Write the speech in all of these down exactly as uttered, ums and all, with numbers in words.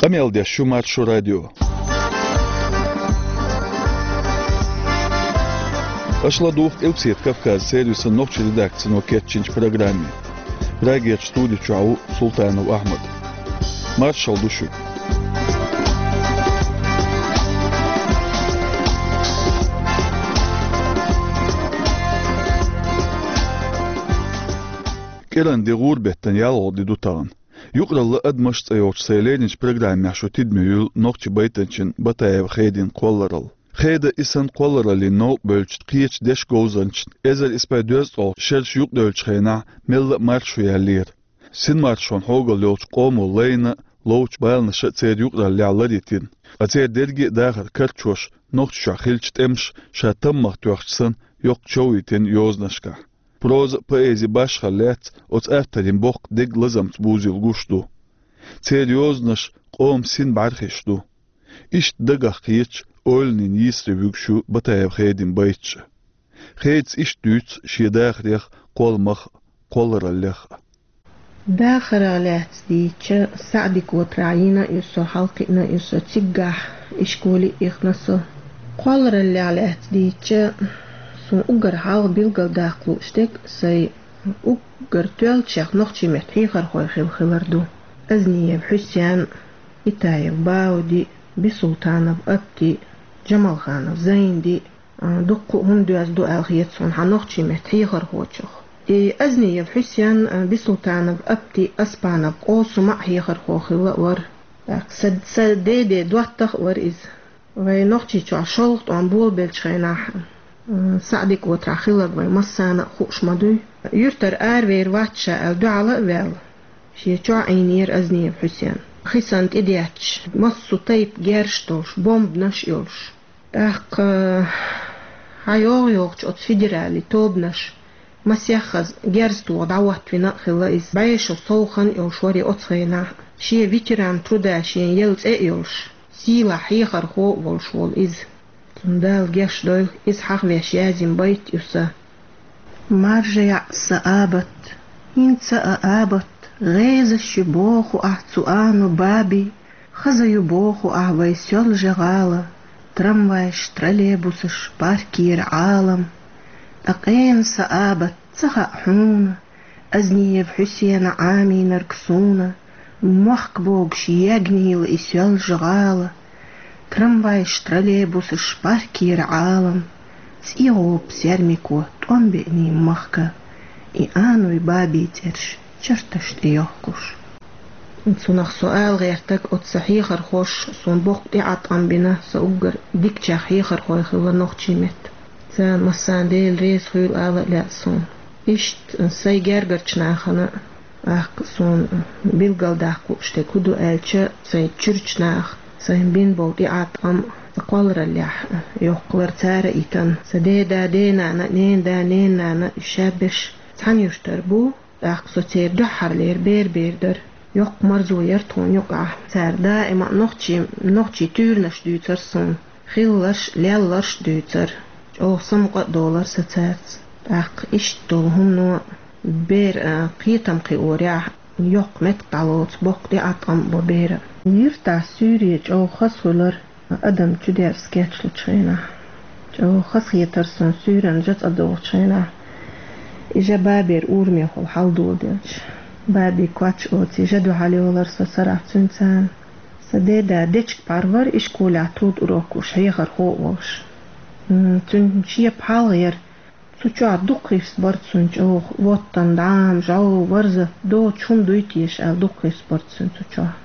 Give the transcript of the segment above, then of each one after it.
Къамел деш ю Маршо радио. Аша ладугӀу Къилбаседа Кавказан сервисан нохчийн редакцино кечйинчу программе. Прагерчу студи чохь ву Султанов Ахьмад. Маршалла ду шуьга. КӀиранан де, гӀуран беттан ялхалгӀа де ду тахана. Юкъаралла адамаш цӀе йолчу сайн леринчу программехь шу тидаме юьллу нохчийн байтанчин Батаева Хедин кхолларалла. Хеда и санна кхоллараллин новкъа бевллачу кхечу дешан говзанчашна эзар исс бӀе дезткъе шераш юкъадевллачу хенахь мелла а маршо яьллера. Синмаршонан хьогалла йолчу къомо лайна а, ловчу баланаша а церан юкъараллехь лар йитина, ткъа церан дерриге а дахар карчош, Нохчийчохь хиллачу тӀемаша ша таммагӀа тоьхча санна, йоккха чов йитина йозанашкахь. Проза а, поэзи а башхалла лаьцна оцу авторийн боккха дег лазамца бузийла гуш ду. Церан йозанаш къоман син бӀаьрхиш ду. Иштта дагах кхеташ, ойланийн йийсаре вуьгуш ю Батаева Хедин байташ а. Хедас иштта дуьйцу шен дахарех а, кхолламах а, кхоллараллех а. Дахарах лаьцна дийцича, СаӀди-Котарахь йина а ю со, хьалакхиъна а ю со, циггахь ишколе а ихна со. Кхоллараллех лаьцна дийцича, суна уггар хьалха билгалдаккха лууш дерг сайн уггар тоьллачех нохчийн меттан хьехархой хилла хилар ду. Азниев Хьусен, Итаев Бауди, Бисултанов Апти, Джамалханов Зайнди, а, дуккха а хӀума доьзна ду аьлла хета суна хьан нохчийн меттан хьехархочух. И Азниев Хьусен, а, Бисултанов Апти, Аспанов Къосума а хьехархо хилла а вара. ТӀаккха са, са деде доттагӀа а вара иза. Вай Нохчийчохь шолгӀа тӀом болабеллачу хенахь, а, СаӀди-Котарахь хилларг вай массарна а хууш ма дуй. Юьртара аравер вац ша аьлла, дуьхьал а ваьлла, шен чохь Ӏийнера Азниев Хьусен. Хи санна тӀедетташ, массо а тайпа герзаш долуш, бомбанаш а йолуш. ТӀаккха хьан йогӀу-йогӀучу оцу федералан тобанаша масех хаза герз тоха дӀахӀоттавина а хилла иза. БӀешо сов хан а йолуш вара и оцу хенахь. Шен ветеран труда шен елла цӀе а йолуш, сийлахь хьехархо а волуш волу иза. Цунна Дала геш дойла, иза хьахавеш язйина байт ю сан. Маржа яӀ сан абат, хӀинца а абат, гӀезаш ю боху ахь цу ану баби, хаза ю боху ахь вай Соьлжа-ГӀала, трамвайш, троллейбусаш, паркера Ӏалам. Ткъа къена сан абат ца хаьа хьуна, Азниев Хьусена Ӏамийнарг суна, мохк богуш ягнийла и Соьлжа-ГӀала, трамвайш, троллейбусаш, паркера Ӏалам, цӀе гӀопу сермико тӀом беъний махка, и ануй бабий цӀераш чарташ тӀе йохкуш. Цунах со ала гӀертарг, оцу сан хьехархоша суна боккха тӀеӀаткъам бина, сан уггар дикачех хьехархой хилла нохчийн меттан. Царна массарна Дела реза хуьйла ала а лаьа суна. Иштта сайн гергарчу нахана, тӀаккха суна билгалдаккха лууш дерг хӀун ду аьлча, сайн чуьрачу наха сайна бина болу тӀеӀаткъам а, сан кхоллараллехь йоккхалар цара а йитина. Сан деда, денана, ненада, ненанана уьш шаберш цхьана юьртара бу. ТӀаккха со церан дуьххьарлера бер-бер дара. Йоккха марзо яра тхуна юкъахь. Цара даима а нохчийн, нохчийн туьйранаш дуьйцура суна. Хилларш а, лелларш а дуьйцура. ЧӀогӀа самукъа а долура сан цаьрца. ТӀаккха иштта долу хӀумано бер, а, кхетам кхиорехь, йоккха меттиг дӀалоцу, боккха тӀеӀаткъам а бо беран. Юьртахь суьйре чӀогӀа хаза хуьлура. Адам чудерза кечлучу хенахь, чӀогӀа хазахетара суна суьйранна жа цӀа догӀучу хенахь, и жа бабера урамехула хьалдоладелча, баби коч оцу жа дуьхьал йолура со сарахь цуьнца. Сан деда дечиг-пхьар вара ишколехь труд урок луш, хьехархо а волуш. М, цуьнан шен пхьалгӀа яра. Цу чохь дукха хист бара цуьнан чӀогӀа: воттан, дӀам, жӀов, варза, доцу хӀума дуй теша аьлла, дукха хист бара цуьнан цу чохь.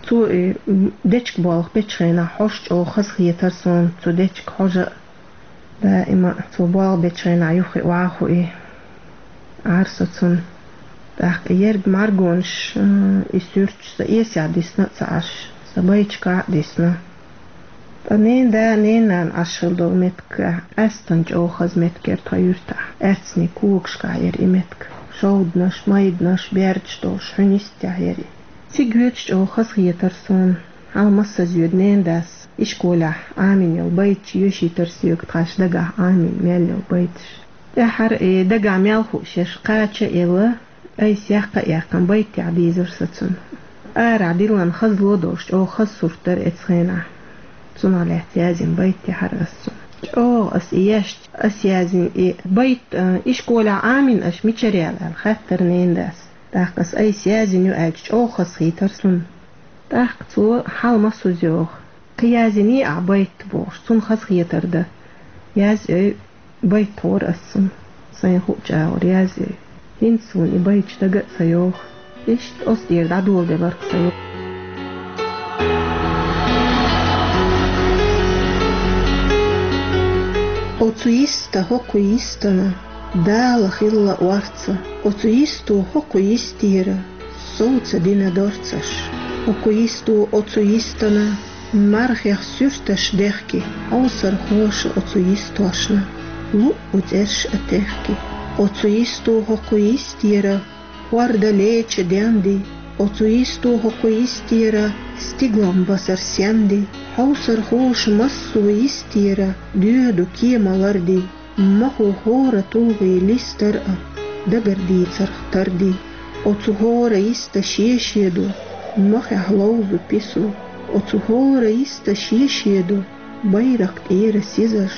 Цо и, м, дечиг болх бечу хенахь хьожа чӀогӀа хазахетара суна, цу дечиг хьожа а. Даима а цо болх бечу хенахь юххе охьахуий, Ӏара со цунна. ТӀаккха и ерг мӀаргонаш, м, и суьрташ сан эсехь дисна а ца Ӏаш, сан байташкахь а дисна. Ткъа ненада, ненанана Ӏаш хилла долу меттиг къаьсттина чӀогӀа хаза меттиг яра тхан юьртахь. Аьцнийн когашкахь яра и меттиг. Шовданаш, майданаш, бердаш долуш, хьуьнан йистехь яра и. Цига йоьдуш чӀогӀа хазахетара суна. Хьала массаза йоьду ненадас ишколехь Ӏамийна йолу байташ йоьшуьйтура соьга, тхайн дагахь Ӏамийна мел йолу байташ. ТӀаьххьара и дагахь мел хууш ерш кхача а елла, айса яккха а яьккхина, байт тӀехь дийзира со цунна. Арахь диллина хаза ло долуш, чӀогӀа хаза сурт дара оцу хенахь. Цунах лаьцна язйина байт яхьара ас цунна. ЧӀогӀа ас и еш, ас язйина и байт, а, ишколехь Ӏамийна аша мичара яьлла аьлла, хаьттира ненан дас. ТӀаккха ас айса язйина ю аьлча, чӀогӀа хазахийтира цунна. ТӀаккха цо хьалмасуза йоху. Кхин язйиний ахь байт бохуш, цунна хазахетар дан. Язъяй, байт тхора ас цунна. Сайна хууш агӀор язъяй. ХӀинца суна и байташ дага а ца йогӀу. Иштта оцу тӀера дӀадоладелира-кх сан юкъ. Оцу йиста хӀокху йистана Дала хилла орца, оцу йисто хӀокху йистера сов ца дина дорцаш. ХӀокху йисто оцу йистана мархех суьрташ дехки, хьовсархоша оцу йистошна луъу цӀерш а техки. Оцу йисто хӀокху йистера хӀорда леча денди, оцу йисто хӀокху йистера стиглан басар сенди, хьовсархоша массо йистера доьду кема ларди. Махо хӀора тулгӀе листар а, дагар дийцарх тарди. Оцу хӀора йиста шен-шен ду, махехь ловзу пису. Оцу хӀора йиста шен-шен ду, байракх тӀера сизаш.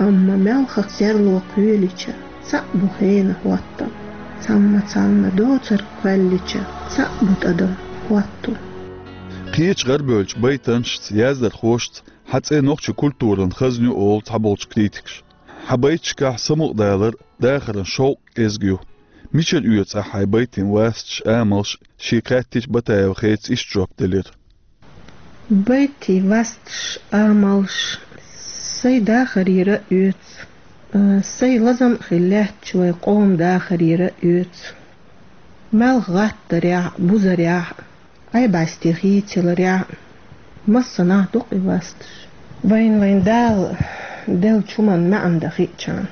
Амма маьлхан серло кхоьлича, цхьаъ бу хенан хӀоттам. Цхьамма-цхьамма доцург кхоьллича, цхьаъ бу тӀадам хӀотту. Кхечу гӀарабевллачу байтанашца, яздархошца хьан цӀе нохчийн культуран хазна ю олу цхьаболчу критикаша. Хьан байташкахь самукъадалар, дахаран шовкъ кӀезиг ю. Мичара оьцу ахь хьайн байтийн васташ, амалш? Шега хаьттича, Батаева Хедас иштта жоп делира. Байтийн васташ, амалш сайн дахарера а оьцу, а, сайн лазам а хилла лаьттачу вайн къоман дахарера а оьцу. Маьлхан гӀаттарехь а, бузарехь а, Ӏай-бӀаьсте хийцаларехь а, массанхьа ду-кх и васташ. Вайна вайн Дала деллачу хӀуманна маьӀна дан хиъчарна.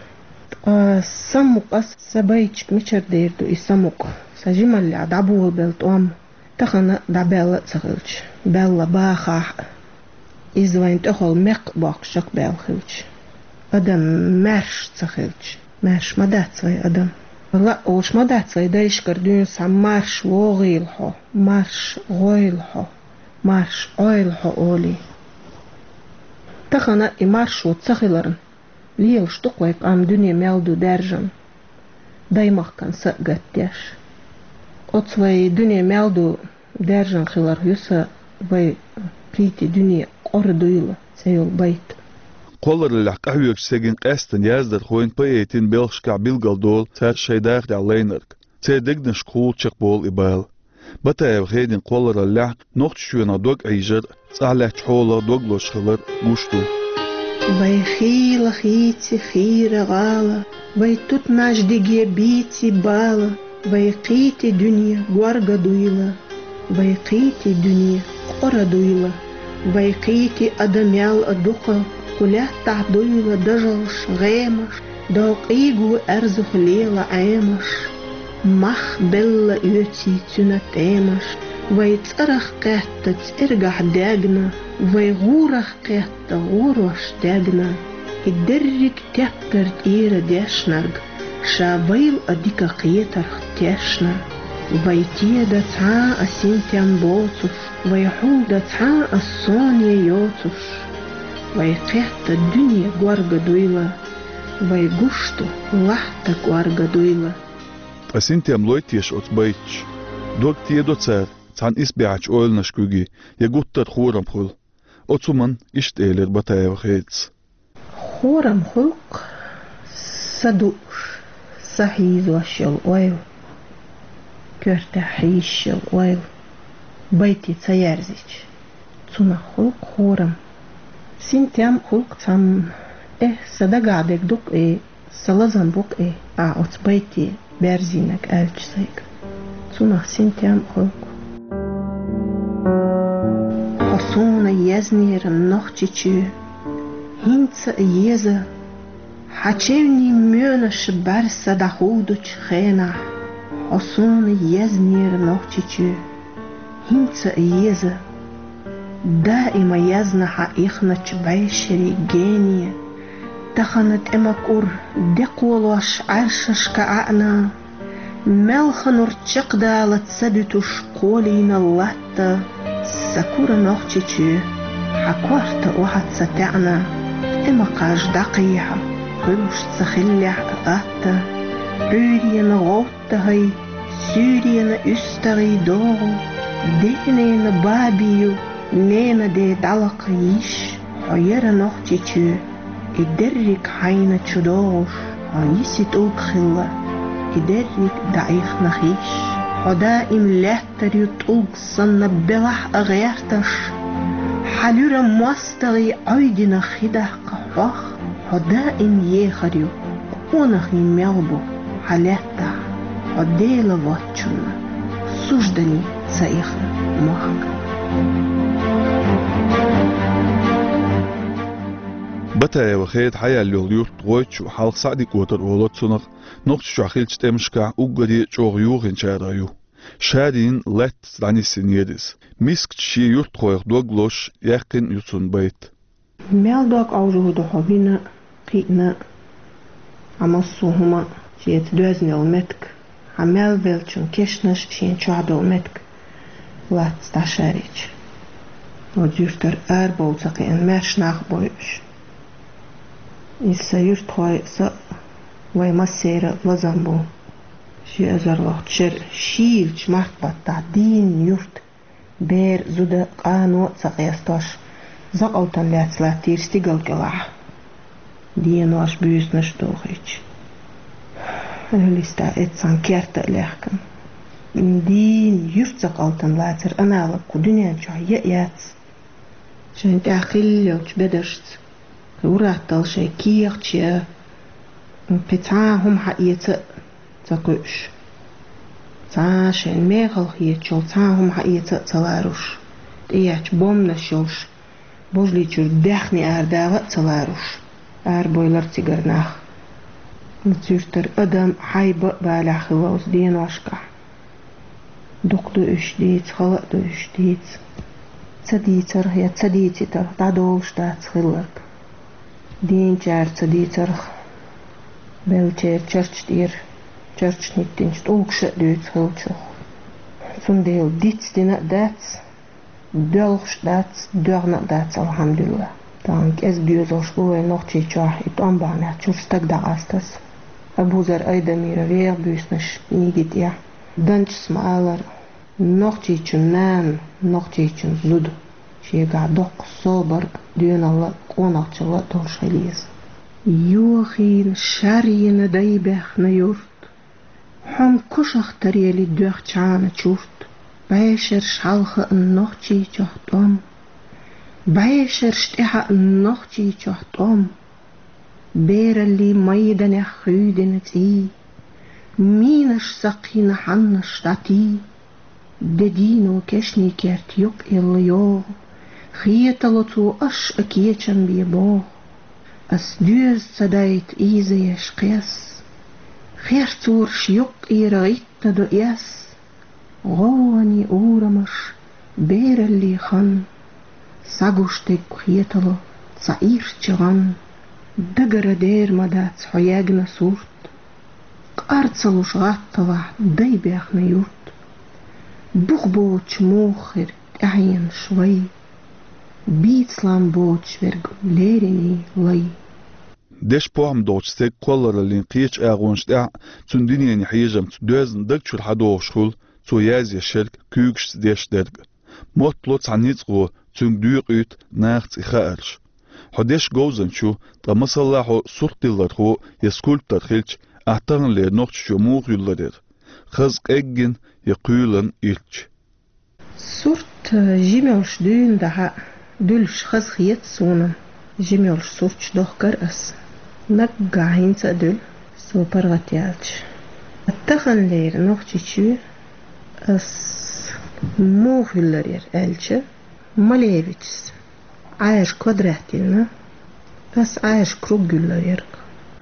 Ткъа самукъа ас, сан байташка мичара дер ду и самукъа, сан жималлехь дӀаболабелла тӀом, тахана а дӀабаьлла а ца хилча, баьлла бахахь а, иза вайн тӀехула мекх а боккхуш чекхбаьлла хилча, адам маьрша ца хилча, маьрша ма дац вай адам. Лаа олуш ма дац вай дайшкара дуьйна схьа марша вогӀийла хьо, марша гӀойла хьо, марша Ӏойла хьо олий. Тахана и маршо ца хиларна, лелаш ду-кх вай къам дуьне мел ду даьржина, даймахкан са а гатдеш. Оцу вай дуьне мел ду даьржина хиларх ю сан «Вай кхийтта дуьне къора дуйла» цӀе йолу байт. Кхоллараллехь къахьоьгучу стеган къаьстина яздархойн, поэтийн белхашкахь билгалдолу цара шайн дахарехь лайнарг. Церан дегнашкахула чекхболу и бала. Батаева Хедин кхоллараллехь Нохчийчоьнах дог Ӏийжар, цӀахь лаьттачу хьолах дог лозуш хилар гуш ду. Вай хийла хийци хийра гӀала, вай тутмаш диге бийци бала, вай кхийтта дуьне горга дуйла, вай кхийтта дуьне къора дуйла, вай кхийтта адам ял а дукха, кху лаьттахь дуйла дажалш, гӀемаш, докъийго аьрзух лела Ӏемаш. Мах белла оьций цуьнан тӀемаш, вай цӀарах кхетта цӀергахь дегна, вай гӀурах кхетта гӀорош дегна. И дерриг тептар тӀера дешнарг, ша вайл а дика кхетарх тешна. Вай теда цхьа а синтем боцуш, вай хьулда цхьа а соне йоцуш, вай кхетта дуьне горга дуйла, вай гуш ду лахьта кӀорга дуйла. Ткъа синтем лой теша оцу байташа? Дог тедо цара цхьана исбаьхьачу ойланаш куьйге, я гуттар а хорам хуьлу? Оцу хӀуманна иштта элира Батаева Хедас. Хорам хуьлу-кх са дууш, са хьийзош йолу ойла, коьртехь хьийзаш йолу ойла, байте ца ерзича, цунах хуьлу-кх хорам. Синтем хуьлу-кх цхьамма, э, сан дагахь дерг ду-кх и, сан лазам бу-кх и, ахь оцу байте берзийнарг аьлча сайга. Цунах синтем а хуьлу-кх. Хьо суна езнера, Нохчийчоь, хӀинца а еза, хьан чевнийн моьнаш бӀаьрса дӀахудучу хенахь, хьо суна езнера, Нохчийчоь, хӀинца а еза. Даима езна хьан ихначу бӀешерийн гене, тахана тӀе ма кӀур, де кхолош Ӏаьршашка ӀаьӀна, Мелха нур чекхдала ца дуьтуш кхолийна латта, са кура Нохчийчоь, хьан корта охьа ца таьӀна, тӀе ма кхаж дӀакхехьа, хуьлуш ца хиллехь а атта, Ӏуьйрена гӀовттагӀий, суьйрена уьстагӀий догӀу, денена бабий ю, нена де дӀалакха йиш, хьо яра Нохчийчоь. И дерриг хьайна чу догӀуш, хьо йиси тӀулг хилла, и дерриг дӀаихнах йиш. Хьо даим лаьттар ю тӀулг санна белахь а гӀерташ, хьан луьра мостагӀий Ӏойдина хи даккха хьох, хьо даим ехар ю, къонахий мел бу хьан лаьттахь, хьо Дела воцчунна суждане ца ихна мохк. Батаева Хеда хьаяьлла йолу юрт ГӀойтачу хьалха СаӀди-КӀотар олу цунах, Нохчийчохь хиллачу тӀемашкахь уггаре а чӀогӀа юханчарах ю. Шарйина лаьттаца дӀанисйинера иза. Мискачу шен юьртахойх дог лозуш, яьккхина ю цунна байт. Мел дог Ӏовжур ду хьо вина, кхиъна, хьан массо а хӀума шеца доьзна йолу меттиг, хьан мел веллачун кешнаш шен чохь долу меттиг лаьттаца дӀашарйича. Оцу юьртара арабовла ца кхиъна маьрша нах а бойуш. Иза сан юьртахой а, са а, вай массеран а лазам бу. Ши эзар лохчу шеран шийлачу март баттахь дийна юрт, бер а, зуда а, къано а ца къестош, закъалтана лаьцна латтийра стигала кӀелахь. Денош, буьйсанаш а дохийча, эвлиста эццахь керта а лехкана. Дийна юьрт закъалтана лацар аналог кху дуьнен чохь яа яц. Шайн тӀехь хилла йолчу бедаршца, кхин ур-атталла шайн кехаташ яа, кхин цхьа а хӀума хьаэца а ца кхуьуш. Цхьа а шайн мехала хеташ йолу цхьа а хӀума хьаэца а ца ларуш, тӀеэцча бомбанаш йолуш, божалличуьра даьхни арадагӀа а ца ларуш, арабевлира цигара нах. Оцу юьртара адам а, хьайба а балехь хилла оцу деношкахь. Дукха ду уьш дийца, хала а ду уьш дийца. Ца дийцарх я ца дийцитарх дӀадолуш дац хилларг. Дийначара ца дийцарх, беллачеран чарча тӀера, чарчана хӀиттинчу тӀулгаша а дуьйцу хиллачух. Цундела дицдина а дац, доьлхуш а дац, доьгӀна а дац, алхьамдулла. Тахана кӀезиг доьзалш бу вайн Нохчийчохь, и тӀом бахьанехь чуьра стаг дӀакъастаза. Абузар Айдамиран «Веха, буьйсанаш» книги тӀехь Данчас ма-аллара, нохчичун нана, нохчичун зуда шегахь доккха собар а, доьналла а, къонахчалла а долуш хила еза. Йохийна, шарйина, дайбаьхна юрт, хьо-м кошах тарели доьхча хьана чурт, бӀешераш хьалха а Нохчийчохь тӀом, бӀешераш тӀаьхьа а Нохчийчохь тӀом. Бераллин майданех хуьйдина цӀий, минаш сакхйина хьаннаш дӀатий, де дийно кешнийн керт юккъелла йогӀу, хетало цо аш а кечам бе богӀу. Ас доьза ца дайта ийзаеш кхес, херцораш юккъера гӀиттадо эс. ГӀовгӀане урамаш, бераллин хан, сагуш дерг хетало цхьа ирча гӀан, дагара дер ма дац хьо ягна сурт. Къар ца луш гӀатталахь дайбаьхна юрт, бух боцуш муха хир тӀаьхьенаш вай, бийцалан боцуш верг леринийн лай. Дешан похӀма долчу стеган кхоллараллин кхечу агӀонаш тӀехь а, цуьнан дуьненан хьежамца доьзна даг чуьра хьадогӀуш хуьлу цо язъеш ерг, куьйгашца деш дерг. Моттало цхьа ницкъ гӀо, цуьнга доькъуьйту нахаца и хаарш. Хьо дешан говзанча ю, ткъа масала хьо суртдиллархо я скульптор хилча, ахь таханлера Нохчийчоь муха юьллур яра? Хаза къеггина я кхоьлина ирча? Сурт, э, жима йолуш дуьйна дахьа, дуьллуш хаза хета суна, жима йолуш сурташ дохкар ас. Наггахь хӀинца а дуьллу, со паргӀат яьлча. Таханлера Нохчийчоь ас муха юьллур яра аьлча, Малевичс Ӏаьржа квадрат йиллина, ас Ӏаьржа круг юьллур яра.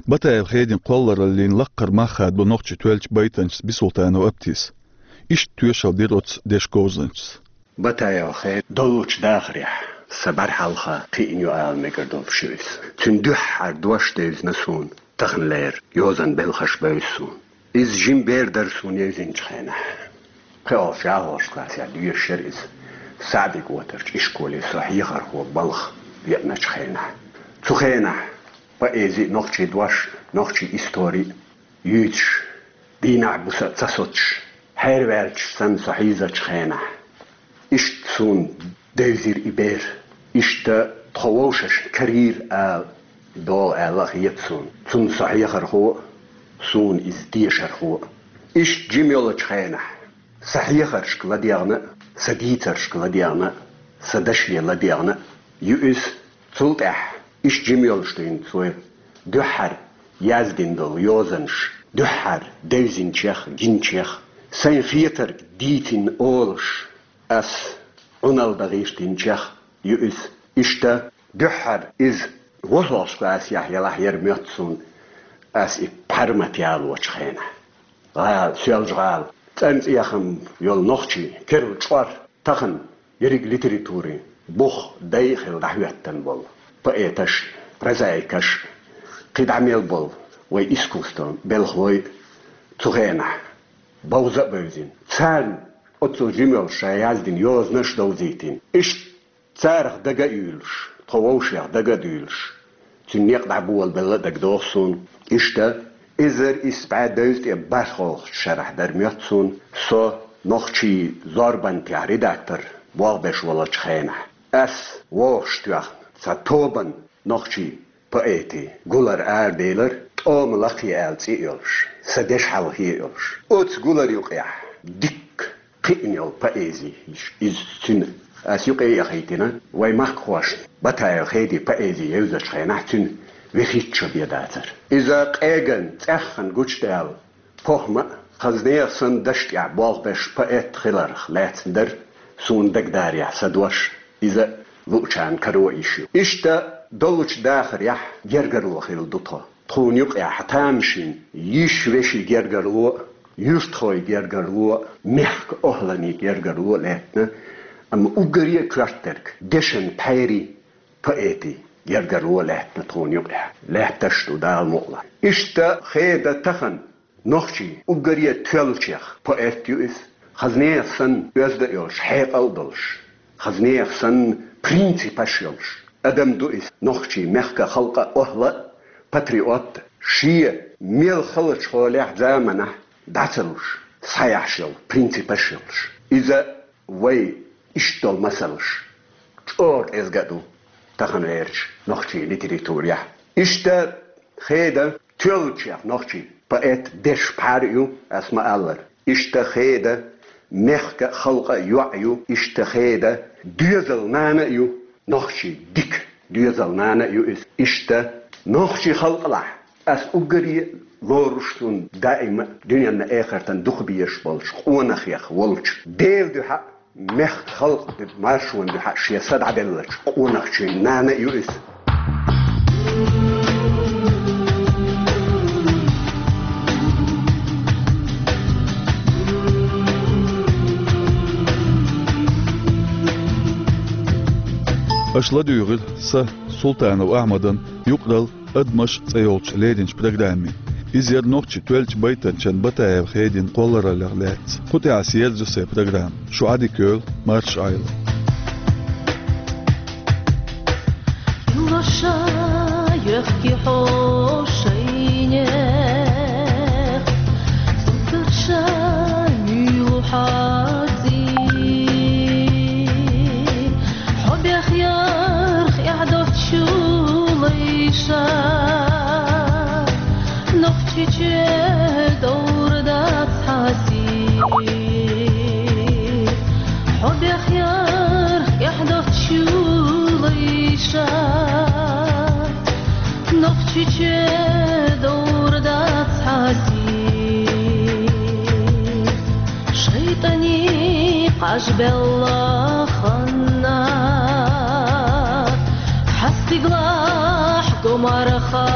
Батаева Хедин кхоллараллин лаккхара мах хадабо нохчийн тоьллачу байтанчас Бисултанов Аптис. Иштта тоьшалла дира оцу дешан говзанчас. Батаева Хеда доллучу дахарехь, сан бӀаьрхьалха кхиъна ю ала мегар долуш ю иза. Цуьнан дуьххьара дош девзина суна, таханлера йозанан белхаш бевза суна. Иза жима бер дара суна евзинчу хенахь. ПхоьалгӀачу, ялхалгӀачу классехь доьшуш яра иза. СаӀди-ГӀотарчу ишколе со хьехархо балха веаначу хенахь. Цу хенахь поэзи а, нохчийн дош а, нохчийн истори а юьйцуш, дийнахь-буса а ца соцуш, хьерваьллачу санна со хьийзачу хенахь, иштта суна девзира и бер. Иштта тхо вовшашна карийра ала, дола аьлла а хета суна. Цунна со хьехархо а, суна иза дешархо а. Иштта жима йолчу хенахь, сан хьехаршка ладегӀна а, сан дийцаршка ладегӀна а, сан даше ладегӀна а ю иза. Цул тӀаьхьа иштта жима йолуш дуьйна цо дуьххьара яздина долу йозанаш, дуьххьара девзинчех, гинчех, сайн хетарг дийцина олуш, ас Ӏуналла дан гӀиртинчех ю иза. Иштта дуьххьара иза ворхӀалгӀачу классехь ялахь яра моьтту суна, ас и пхьармат ялочу хенахь. ГӀала, Соьлжа-ГӀала, цӀанцӀехам йолу нохчий, керла чкъор, тахана ерриг литературин бух дай а хилла дӀахӀоьттина болу поэташ, прозаикаш, кхидӀа мел болу вай искусствон белхалой цу хенахь бовза а бевзина. Царна оццул жима йолуш ша яздина йозанаш а довзийтина. Иштта царах дага а юьйлуш, тхо вовшех дага а дуьйлуш, цуьнан некъ дӀаболабелла а дагадогӀу суна. Иштта, эзар исс бӀе дезткъе бархӀолгӀачу шарахь дара моьтту суна, со нохчийн зорбанехь редактор болх беш волчу хенахь. Ас вовшахтоьхна цхьа тобанна нохчийн поэтийн гулар араделира, «ТӀома лакхе» аьлла цӀе а йолуш, сан дешан хьалхе а йолуш. Оцу гулар юкъехь дикка кхиъна йолу поэзи иза цуьнан. Ас юкъе а яхийтина, вай махкахошна Батаев Хедин поэзи евзачу хенахь цуьнан вехийча шо бен дацара. Иза къеган, цӀеххьана гучудаьлла похӀма а, хаза нехан санна дашна тӀехь болх беш поэт хиларх лаьцна дара, суна дагадарехь сан дош иза луучарна каро йиш ю. Иштта доллучу дахарехь гергарло хилла ду тхо. Тхуна юкъехь тамашийна йиш-вешин гергарло а, юьртахойн гергарло а, мехкан охӀланийн гергарло а лаьттина, амма уггаре а коьртаниг дешан пхьерийн, поэтийн гергарло а лаьттина тхуна юкъехь. Лаьтташ а ду, Дала мукъ лахь. Иштта Хеда тахана нохчийн уггаре а тоьллачех поэт ю иза. Хаза нехан санна оьзда а йолуш, хьекъал а долуш, хаза нехан санна принципаш а йолуш адам ду иза, нохчийн мехкан, халкъан охӀла а, патриот а, шен мел халачу хьолехь, заманахь дӀа ца луш, схьаяхьаш йолу принципаш а йолуш. Иза вай иштта долу масалш чӀогӀа кӀезга а ду тахана гӀертачу нохчийн литературехь. Иштта Хеда тоьллачех нохчийн поэт, дешан пхьар а ю, ас ма-аллара. Иштта Хеда мехкан а, халкъан а йоӀ ю, иштта Хеда доьзалан нана а ю, нохчийн дика доьзалан нана а ю иза. Иштта нохчийн халкъалахь ас уггаре а лоруш, суна даима а дуьненна, эхартана дукха безаш болчу къонахех волчу Делан дуьхьа а, мехкан, халкъан маршонан дуьхьа а шен са дӀаделлачу къонахчийн нана а ю иза. Аша ладуьйгӀира сан, Султанов Ахьмадан, юкъаралла «Адамаш» цӀе йолчу леринчу программе. Иза яра нохчийн тоьллачу байтанчан Батаев Хедин кхоллараллех лаьцна. Кху тӀехь ас ерзайо сайн программа. Шу Ӏадика йойла, марша Ӏойла. Юлаша йохки хьо шайнех, цуьнан ша муьйлу хьаций. Хьо бехъярх эхь доцчу лайша, Нохчийчоь довр дац хьан сий. Хьо бехъярх эхь доцчу лайша, Нохчийчоь довр дац хьан сий. ШайтӀанийн къажбелла ханна, хьан стигалахь го марха